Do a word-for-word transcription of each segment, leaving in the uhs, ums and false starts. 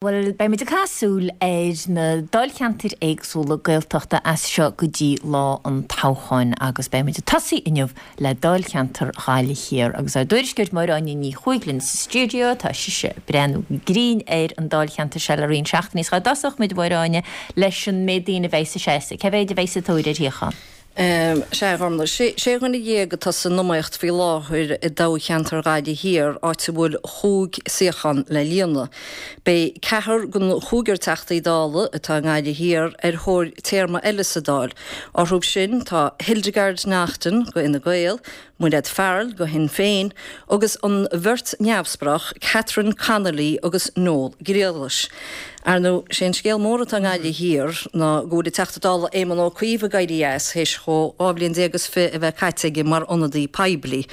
Bhuel, beidh muid ag caitheamh súil ar na dáilcheantair éagsúla Gaeltachta as seo go dtí lá an toghcháin agus beidh muid ag tosaí inniu le dáilcheantar Ghaillimh Thiar agus ár dtuairisceoir Máire Áine Ní Chuaig linn sa stiúideo. Tá sise ag breathnú go grinn ar an dáilcheantar seo le roinnt seachtainí. Cá dtosódh muid, a Mháire Áine, leis an méid daoine a bheidh sa seasamh? Cé mhéid a bheidh sa tóir ar shuíochán? Sea, a Ghormlaith, sé dhuine dhéag atá san iomaíocht faoi láthair i dtoghcheantar Ghaillimh Thiar, áit a bhfuil chúig suíochán le líonadh. Beidh ceathrar den chúigear Teachtaí Dála atá i nGaillimh Thiar ar thóir téarma eile sa Dáil. Orthu sin tá Hildegarde Naughton go Fhine Gael, Mairéad Farrell go Shinn Féin agus an bheirt neamhspleách Catherine Connolly agus Noel Griallais. Ar ndóigh, sé an scéal mór atá i nGaillimh Thiar ná go bhfuil an Teachta Dála Éamon Ó Cuív ag éirí as, théis dhó dhá bhliain déag is fiche a bheith caite aige mar ionadaí poiblí.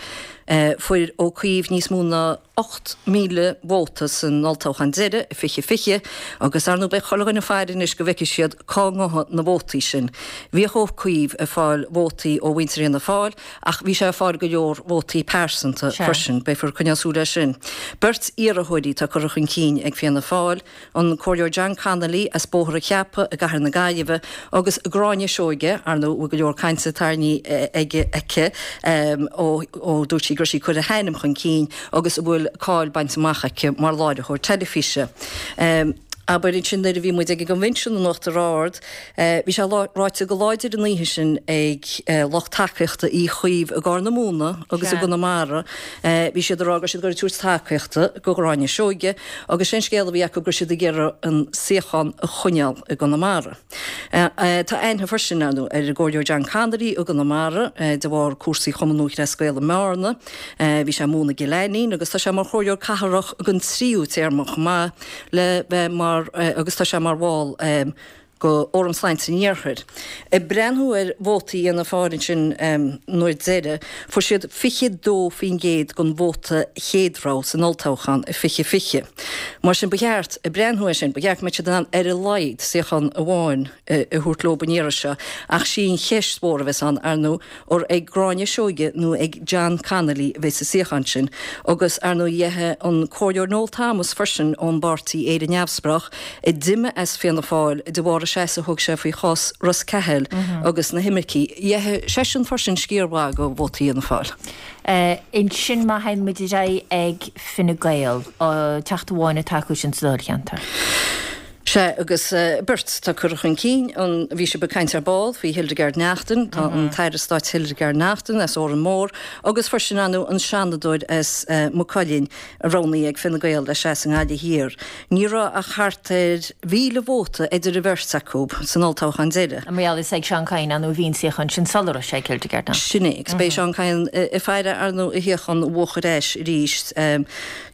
Fuair Ó Cuív níos mó ná ocht míle vóta san olltoghchán deiridh i fiche fiche agus ar ndóigh beidh chuile dhuine ag faire anois go bhfeicfidh siad cá ngabhfaidh na vótaí sin. Bhíodh Ó Cuív ag fáil vótaí ó mhuintir Fhianna Fáil ach bhí sé ag fáil go leor vótaí pearsanta freisin. Beifear ag coinneáil súil air sin. Beirt iarrthóirí atá curtha chun cinn ag Fianna Fáil, an Comhairleoir John Connolly as Bóthar an Cheapaigh i gCathair na Gaillimhe agus Gráinne Seoige, ar ndóigh, a bhfuil go leor cainte tarraingthe aige, aici ó ó dúirt sí go raibh sí ag cur a hainm chun cinn agus a bhfuil cáil bainte amach aici mar láithreoir teilifíse. Abair ansin nuair a bhí muid ag an gCoinbhinsiún in Uachtar Ard, bhí sé ráite go láidir an oíche sin ag lucht tacaíochta Uí Chuív i gCorr na Móna agus i gConamara, bhí siad ag rá go raibh siad ag tabhairt tacaíochta go Ghráinne Seoige agus sé an scéal a bhí acu go raibh siad ag iarraidh an suíochán a choinneáil i gConamara. Tá aithne freisin, ar ndóigh, ar an gComhairleoir John Connolly i gConamara de bharr cúrsaí Chumann Lúthchleas Gael i mBearna. Bhí sé ag múineadh i gCill Ainnín agus tá sé mar Chomhairleoir Cathrach don tríú téarma chomh maith le bheith mar agus tá sé mar bhall go Fhóram Sláinte an Iarthair. Ag breathnú ar vótaí Fhianna Fáil ansin an uair deiridh, fuair siad fiche dó faoin gcéad den vóta chéad rogha san olltoghchán i fiche fiche. Mar sin ba cheart, ag breathnú air sin, ba cheart go mbeadh siad in ann ar a laghad suíochán amháin a thabhairt leo an iarraidh seo ach sí an cheist mhór a bheas ann, ar ndóigh, ar ag Gráinne Seoige nó ag John Connolly a bheas an suíochán sin agus, ar ndóigh, d'fhéadfadh an Comhairleoir Noel Thomas freisin ón bpáirtí Éire Neamhspleách, a d'imigh as Fianna Fáil de bharr an seasamh a thug sé faoi chás Ros Cathail agus na himircigh, d'fhéadfadh seisean freisin sciar mhaith de vótaí Fhianna Fáil. Ansin má théann muid ar aghaidh ag Fine Gael, teachta amháin atá acu sin sa dáilcheantar. Sea, agus beirt atá curtha chun cinn. An, bhí sibh ag caint ar ball faoi Hildegarde Naughton, tá an tAire Stáit Hildegarde Naughton as Órán Mór agus freisin, ar ndóigh, an Seanadóir as Maigh Cuilinn, roghnaithe ag Fine Gael le seasamh i nGaillimh Thiar. Ní raibh ach thart ar mhíle vóta idir an bheirt acu san olltoghchán deiridh. Mar gheall is ag Seán Kyne, ar ndóigh, a bhí an suíochán sin sula raibh sé ag Hildegarde Naughton. Sin é, agus beidh Seán Kyne ag faire, ar ndóigh, a shuíochán a bhuachan ar ais arís.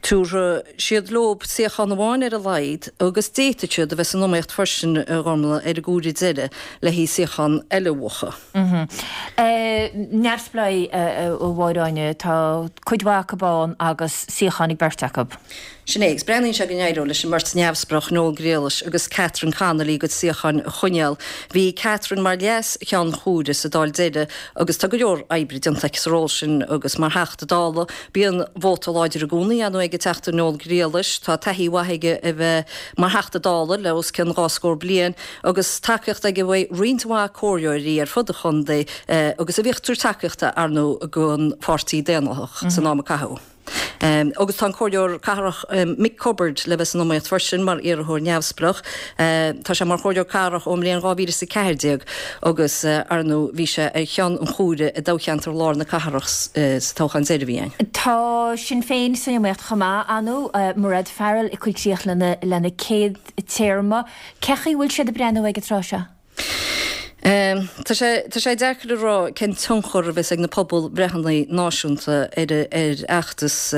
Tabharfaidh siad leo suíochán amháin ar a laghad agus d'fhéadfadh siad a bheith san iomaíocht freisin, a Ghormlaith, ar an gcomhaireamh deiridh le haghaidh suíochán eile a bhuachan. Neamhspleáigh, a Mháire Áine, tá cuid mhaith acu ann agus suíochán ag beirt acu. Sin é, agus breathnaíonn sé go n-éireoidh leis an mbeirt neamhspleách, Noel Griallais agus Catherine Connolly, a gcuid suíocháin a choinneáil. Bhí Catherine mar leas-cheann comhairimh sa Dáil deiridh agus tá go leor oibre déanta aici sa ról sin agus mar Theachta Dála. Bíonn vóta láidir i gcónaí, ar ndóigh, ag an Teachta Noel Griallais. Tá taithí mhaith aige a bheith mar Theachta Dála le os cionn dhá scór bliain agus tacaíocht aige uaidh roinnt mhaith comhairleoirí ar fud an chontae agus a bhíodh ag tabhairt tacaíochta, ar ndóigh, don Pháirtí Daonlathach san am a caitheadh. Agus tá an Comhairleoir Cathrach Mick Cubbard le bheith san iomaíocht freisin mar iarrthóir neamhspleách. Tá sé mar Chomhairleoir Cathrach ón mbliain dhá mhíle is a ceathair déag agus, ar ndóigh, bhí sé ar cheann an chomhairimh i dtoghcheantar Lár na Cathrach sa toghchán deiridh a bhí ann. Tá Sinn Féin san iomaíocht chomh maith, ar ndóigh, Mairéad Farrell ag cur críoch lena céad téarma. Cén chaoi a bhfuil siad ag breathnú ag an tráth seo? Tá sé tá sé deacair a rá cén tionchar a bheas ag na pobalbhreitheanna náisiúnta ar ar fheachtas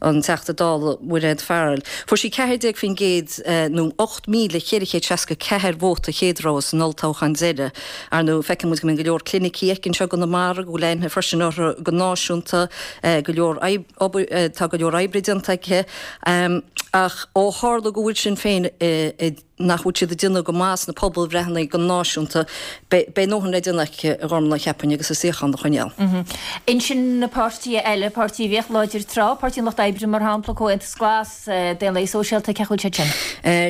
an Teachta Dála Mairéad Farrell. Fuair sí ceathair déag faoin gcéad nó ocht míle ceithre chéad seasca ceathair vóta chéad rogha san olltoghchán deiridh. Ar ndóigh, feiceann muid go mbíonn go leor clinicí aici anseo i gConamara, go bhfuil aithne freisin orthu go náisiúnta, go leor obair tá go leor oibre déanta aici. Ach ó tharla go bhfuil Sinn Féin i nach bhfuil siad ag déanamh go maith sna pobalbhreitheanna go náisiúnta, beidh a ndóthain le déanamh aici, a Ghormfhlaith, cheapfainn, agus a suíochán a choinneáil. Ansin na páirtithe eile, páirtí a bhíodh láidir tráth, Páirtí an Lucht Oibre mar shampla, Comhaontas Glas, Daonlathaigh Sóisialta, cén chaoi a bhfuil siad sin?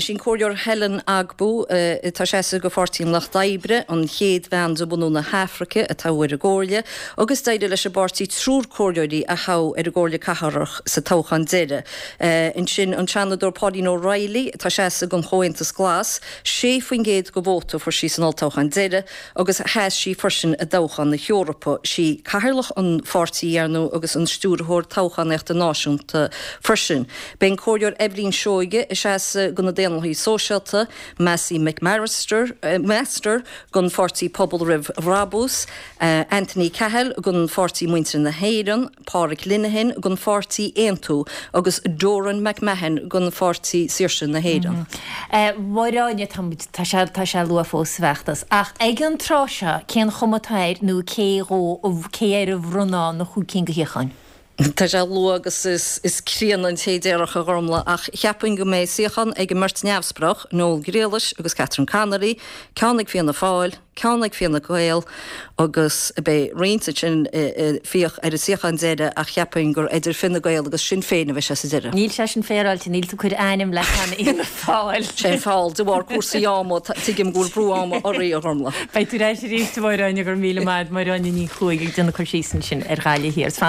Sí an Comhairleoir Helen Ogbu atá ag seasamh do Pháirtí an Lucht Oibre, an chéad bhean de bhunú na hAfraice a toghadh ar an gComhairle, agus d'éirigh leis an bpáirtí triúr comhairleoirí a thoghadh ar an gComhairle Cathrach sa toghchán deiridh. Ansin an Seanadóir Pauline O'Reilly atá ag seasamh don Chomhaontas Glas, sé faoin gcéad de vóta a fuair sí san olltoghchán deiridh agus sheas sí freisin i dtoghchán na hEorpa. Sí cathaoirleach an pháirtí, ar ndóigh, agus an stiúrthóir toghchánaíochta náisiúnta freisin. Beidh an Comhairleoir Eibhlín Seoige ag seasamh do na Daonlathaithe Sóisialta, Massey McMaster don pháirtí Pobal Roimh Bhrabús, Anthony Cahill don pháirtí Muintir na hÉireann, Pádraig Linehan don pháirtí Aontú agus Doireann McMahon don pháirtí Saoirse na hÉireann. A Mháire Áine, tá muid, tá sé, tá sé luath fós sa bhfeachtas, ach ag an tráth seo, cén chuma atá air nó cé dhó, cé air a bhronnfá na chúig cinn de shuíocháin? Tá sé luath agus is críonna an té déarfadh, a Ghormfhlaith, ach cheapfainn go mbeidh suíochán ag an mbeirt neamhspleách, Noel Ghriallais agus Catherine Connolly, ceann ag Fianna Fáil, ceann ag Fine Gael agus beidh roinnt ansin ag fiach ar an suíochán deiridh ach cheapfainn gur idir Fine Gael agus Sinn Féin a bheidh sé sa deireadh. Níl sé sin féaráilte, níl tú ag cur ainm le cheana Fhianna Fáil. Sé an feall de bharr cúrsaí ama, tuigim go bhfuil brú ama oraibh, a Ghormfhlaith. Beidh tú ar ais arís, a Mháire Áine, go raibh míle maith agat, Máire Áine Ní Chuaig ag déanamh cur síos ansin ar Ghaillimh Thiar.